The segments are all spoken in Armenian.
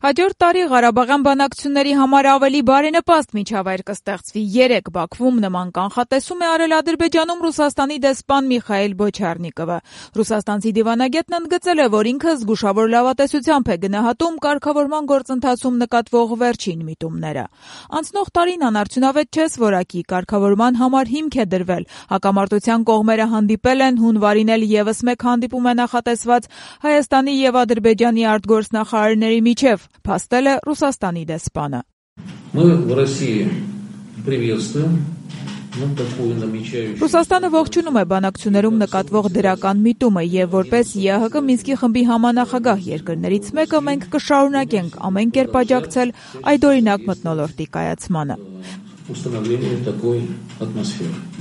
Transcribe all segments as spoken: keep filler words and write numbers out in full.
Հաջորդ տարի Ղարաբաղյան բանակցությունների համար ավելի բարենպաստ միջավայր կստեղծվի։ Երեկ Բաքվում նման կանխատեսում է արել Ադրբեջանում Ռուսաստանի դեսպան Միխայիլ Բոչարնիկովը։ Ռուսաստանցի դիվանագետն ընդգծել է, որ ինքը զգուշավոր լավատեսությամբ է գնահատում կարգավորման գործընթացում նկատվող վերջին միտումները։ Անցնող տարին անարդյունավետ չես որակի կարգավորման համար հիմք է դրվել։ Հակամարտության կողմերը հանդիպել են, հունվարին էլ ևս մեկ հանդիպում է նախատեսված Հայաստանի եւ Ադրբեջանի արտգործնախարարների միջև, փաստել է Ռուսաստանի դեսպանը։ Ռուսաստանը ողջունում է բանակցություններում նկատվող դրական միտումը եւ որպես ԵԱՀԿ Մինսկի խմբի համանախագահ երկրներից մեկը մենք կշարունակենք ամեն կերպ աջակցել այդօրինակ մթնոլորտի կայացմանը։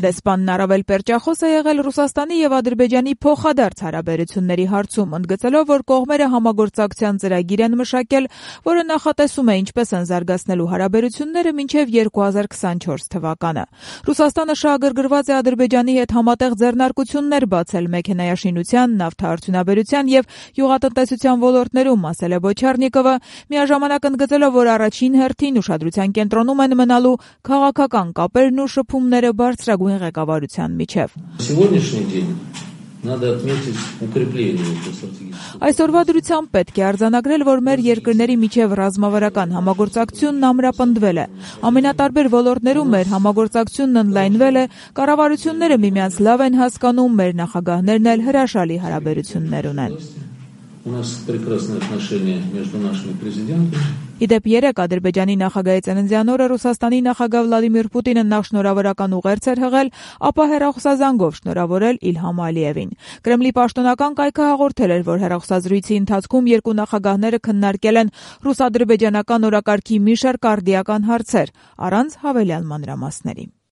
Դեսպանն առավել պերճախոս է եղել Ռուսաստանի եւ Ադրբեջանի փոխադարձ հարաբերությունների հարցում, ընդգծելով, որ կողմերը համագործակցության ծրագիր են մշակել, որը նախատեսում է ինչպես են զարգացնելու հարաբերությունները մինչեւ երկու հազար քսանչորս թվականը։ Ռուսաստանը շահագրգռված է Ադրբեջանի հետ համատեղ ձեռնարկություններ բացել մեքենայաշինության, նավթարդյունաբերության եւ գյուղատնտեսության ոլորտներում, ասել է Բոչարնիկովը, միաժամանակ ընդգծելով, որ առաջին հերթին ուշադրության կենտրոնում են մնալու քաղաքական կապերն ու շփումները բարձրագույն ղեկավարության միջև։ Այսօրվա դրությամբ պետք է արձանագրել, որ մեր երկրների միջև ռազմավարական համագործակցությունն ամրապնդվել է։ Ամենատարբեր ոլորտներում մեր համագործակցությունն ընդլայնվել է, կառավարությունները միմյանց լավ են հասկանում, մեր նախագահներն էլ հրաշալի հարաբերություններ ունեն։ Իդեպ երեկ Ադրբեջանի նախագահի ծննդյան օրը Ռուսաստանի նախագահ Վլադիմիր Պուտինը նախ շնորհավորական ուղերձ էր հղել, ապա հեռախոսազանգով շնորհավորել Իլհամ Ալիևին։ Կրեմլի պաշտոնական կայքը հաղորդել էր, որ հեռախոսազրույցի ընթացքում երկու նախագահները քննարկել են ռուս-ադրբեջանական օրակարգի մի շարք արդիական հարցեր, առանց հավելյալ մանրամասների։